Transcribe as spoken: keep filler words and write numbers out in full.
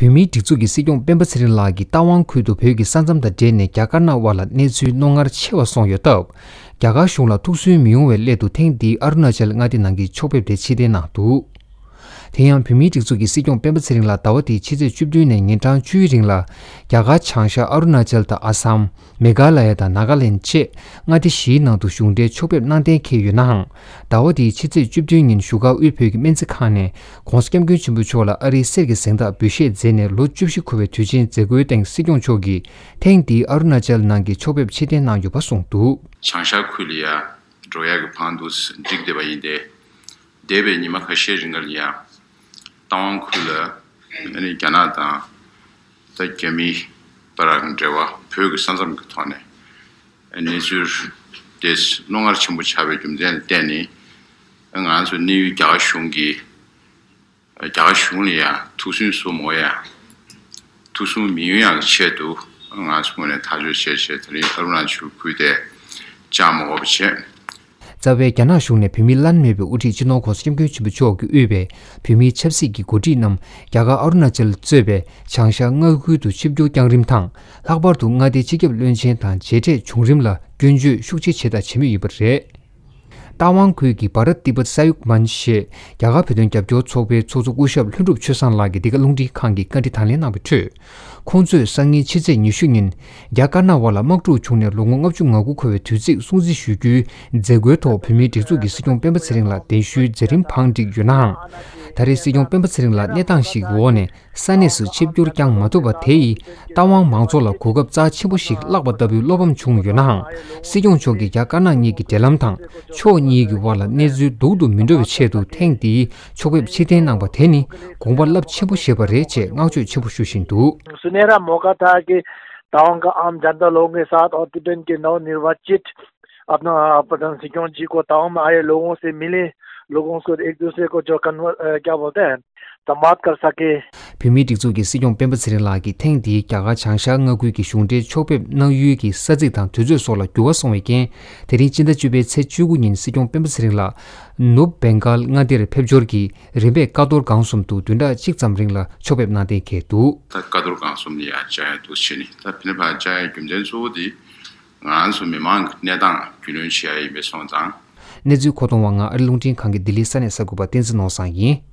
བོད་མིའི་སྒྲིག་འཛུགས་ཀྱི་སྲིད་སྐྱོང་སྤེན་པ་ཚེ་རིང་ལགས་ཀྱིས་རྟ་དབང་ཁུལ་དུ་བོད་ཀྱི་ས་མཚམས་དང་འབྲེལ་ནས་རྒྱ་དཀར་ནག་དབར་ལ་གནས་ཚུལ་རྣོ་ངར་ཆེ་བ་སོང་ཡོད་སྟབས། རྒྱ་གར་གཞུང་ལ་ཐུགས་སུན་མི་ཡོང་བའི་སླད་དུ་ཐེངས་འདིའི་ཨ་རུ་ན་ཅལ་མངའ་སྡེ་ནང་གི་ཕྱོགས་ཕེབས་དེ་ཕྱིར་འཐེན་གནང་འདུག་དེ་ཡང་བོད་མིའི་སྒྲིག་འཛུགས་ཀྱི་སྲིད་སྐྱོང་སྤེན་པ་ཚེ་རིང་ལགས་ཟླ་བ་འདིའི་ཕྱི་ཚེས་བཅུ་བདུན་ནས་ཉིན་གྲངས་བཅུའི་རིང་ལ་རྒྱ་གར་བྱང་ཤར་ཨ་རུ་ན་ཅལ་དང་ཨ་སམ། མེ་གྷ་ལ་ཡ་དང་ནཱ་ག་ལེན་བཅས་མངའ་སྡེ་བཞིའི་ནང་དུ་གཞུང་འབྲེལ་ཕྱོགས་ཕེབས་གནང་གཏན་འཁེལ་ཡོད་ནའང་། ཟླ་བ་འདིའི་ཕྱི་ཚེས་བཅུ་བདུན་ཉིན་བཞུགས་སྒར་དབུས་བོད་ཀྱི་སྨན་རྩིས་ཁང་ནས་༸གོང་ས་༸སྐྱབས་མགོན་ཆེན་པོ་མཆོག་ལ་ཨ་རིའི་གསེར་གྱི་གཟེངས་རྟགས་འབུལ་བཞེས་མཛད་ནས་ལོ་བཅུ་བཞི་འཁོར་བའི་དུས་ཆེན་མཛད་སྒོའི་སྟེང་སྲིད་སྐྱོང་མཆོག་གིས་ཐེངས་འདིའི་ཨ་རུ་ན་ཅལ་ནང་གི་ཕྱོགས་ཕེབས་ཕྱིར་འཐེན་གནང་ཡོད་པ་གསུངས་འདུག་བྱང་ཤར་ཁུལ་ལ་ཡ་འགྲོ་ཡག་གི་བང་དུ་འགྲིག་བསྡད་པ་ཡིན་ཏེ། འདས་པའི་ཉི་མ་ཁ་ཤས་རིང་ལ་ཡང་རྟ་དབང་ཁུལ་ལ་ཨ་ནི་རྒྱ་ནག་དང་ད་རྒྱ་མིའི་བར་གྱི་འབྲེལ་བ་བོད་ཀྱི་ས་མཚམས་ཀྱི་ཐོག་ནས་གནས་ཚུལ་དེ་རྣོ་ངར་ཆེན་པོ་ཆགས་པའི་རྒྱུ་མཚན་ལ་བརྟེན་ནས། ང་ཚོ་གནས་ཡུལ་རྒྱ་གར་གཞུང་གིས་རྒྱ་གར་གཞུང་ལ་ཡང་ཐུགས་སུན་གསུམ་འོ་ཡ། ཐུགས་སུན་མི་ཡོང་ཡག་གི་ཆེད་དུ་ང་ཚོ་ངོས་ནས་ཐག་གཅོད་བྱས་བྱས་དེ་རིང་ཨ་རུ་ན་ཅལ་ཁུལ་དེ་བཅག་མ་དགོས་པ་བྱས། རྩ་བའི་རྒྱ་ནག་གཞུང་ནས་བོད་མིའི་བླ་ན་མེད་པའི་དབུ་ཁྲིད་སྤྱི་ནོར་༸གོང་ས་༸སྐྱབས་མགོན་ཆེན་པོ་མཆོག་གིས་དབུས་པའི་བོད་མིའི་ཆབ་སྲིད་ཀྱི་འགོ་ཁྲིད་རྣམས་རྒྱ་གར་ཨ་རུ་ན་ཅལ་གཙོས་པའི་བྱང་ཤར་མངའ་ཁུལ་དུ་ཆིབས་བསྒྱུར་བསྐྱངས་རིམ་དང་། ལྷག་པར་དུ་མངའ་སྡེའི་སྤྱི་ཁྱབ་བློན་ཆེན་དང་མཇལ་འཕྲད་བྱུང་རིམ་ལ་སྐྱོན་བརྗོད་ཤུགས་ཆེ་བྱས་དང་བྱེད་མུས་ཡིན་པ་རེད། རྟ་དབང་ཁུལ་གྱི་བྷ་རཏ་ཏི་བྷཏ་ས་ཡུག་མན་ཞེས་རྒྱ་གར་བོད་དོན་རྒྱབ་སྐྱོར་ཚོགས་པའི་ཚོགས་གཙོ་སྐུ་ཞབས་ལྷུན་གྲུབ་ཆོས་བཟང་ལགས་ཀྱིས་འདི་ག་རླུང་འཕྲིན་ཁང་གི་བཀའ་འདྲི་དང་ལེན་གནང་བའི་ཁྲོད། ཁོང་ཚོས་སང་ཉིན་ཕྱི་ཚེས་ཉི་ཤུ་ཉིན་རྒྱ་དཀར་ནག་དབར་ལ་དམག་འཁྲུག་བྱུང་ནས་ལོ་ངོ་ལྔ་བཅུ་ང་དགུ་འཁོར་བའི་དུས་ཚིགས་སྲུང་བརྩི་ཞུ་རྒྱུའི་མཛད་སྒོའི་ཐོག་བོད་མིའི་སྒྲིག་འཛུགས་ཀྱི་སྲིད་སྐྱོང་སྤེན་པ་ཚེ་རིང་ལ་གདན་ཞུའི་མཛད་རིམ་བང་བསྒྲིགས་ཡོད་ནའང་། ད་རེས་སྲིད་སྐྱོང་སྤེན་པ་ཚེ་རིང་ལགས་གནས་སྟངས་ཤིག་གི་འོག་ནས། ས་གནས་སུ་ཆིབས་བསྒྱུར་བསྐྱངས་མ་ཐུབ་པ་དེ་ཡིས་རྟ་དབང་མང་ཚོགས་ལ་གོ་སྐབས་རྩ་ཆེན་པོ་ཞིག་བརླག་པ་ལྟ་བུའི་བློ་ཕམ་བྱུང་ཡོད་ནའང་། སྲིད་སྐྱོང་མཆོག་གིས་རྒྱ་དཀར་ནག་གཉིས་ཀྱི་འབྲེལ་ལམ་དང་ཕྱོགས་གཉིས་ཀྱི་དབར་ལ་གནས་ཚུལ་སྡུག་ཏུ་མི་འགྲོ་བའི་ཆེད་དུ་ཐེངས་འདིའི་ཕྱོགས་ཕེབས་ཕྱིར་འཐེན་གནང་པ་དེ་ནི་དགོངས་པ་རླབས་ཆེན་པོ་བཞེས་པ་རེད་ཅེས་བསྔགས་བརྗོད་ཆེན་པོ་ཞུ་བཞིན་འདུག सुनहरा मौका था कि तवांग का आम जनता लोगों के साथ और तिब्बत के नवनिर्वाचित अपना प्रधान सिक्योंग जी को तवांग में आए लोगों से मिले, लोगों को एक दूसरे को जो कन्वर अ, क्या बोलते हैं, संवाद कर सके। བོད་མིའི་སྒྲིག་འཛུགས་ཀྱི་སྲིད་སྐྱོང་སྤེན་པ་ཚེ་རིང་ལགས་ཀྱིས་ཐེངས་འདིའི་རྒྱ་གར་བྱང་ཤར་མངའ་ཁུལ་གྱི་གཞུང་འབྲེལ་ཕྱོགས་ཕེབས་གནང་ཡུལ་གྱི་ས་ཚིགས་དང་དུས་ཚོད་སོགས་ལ་འགྱུར་བ་སོང་བའི་རྐྱེན། དེ་རིང་སྤྱི་ཟླ་བཅུ་པའི་ཚེས་བཅུ་དགུ་ཉིན་སྲིད་སྐྱོང་སྤེན་པ་ཚེ་རིང་ལགས་ནུབ་བེང་གཱལ་མངའ་སྡེར་ཕེབས་འབྱོར་གྱིས་རིམ་པས་ཀ་རྡོར་སྒང་གསུམ་དུ་བདུན་ཕྲག་གཅིག་ཙམ་རིང་ལ་ཕྱོགས་ཕེབས་གནང་གཏན་འཁེལ་འདུག་ད་ཀ་རྡོར་སྒང་གསུམ་ལ་ཡང་བཅར་ཡ་འདུག་བྱས་ནས། ད་ཕི་ནི་ཕར་བཅར་ཡའི་རྒྱུ་མཚན་གཙོ་བོ་དེ་ང་ཚོ་མི་མང་གི་གནས་སྟངས་རྒྱུས་ལོན་བྱེད་ཡ་ཡིན་པས་སོང་ཙང་། གནས་ཚུལ་མཁོ་གཏོང་བ་ང་ཨ་རི་རླུང་འཕྲིན་ཁང་གི་ལྡི་ལི་ས་གནས་གསར་འགོད་པ་བསྟན་འཛིན་ནོར་བཟང་ཡིན།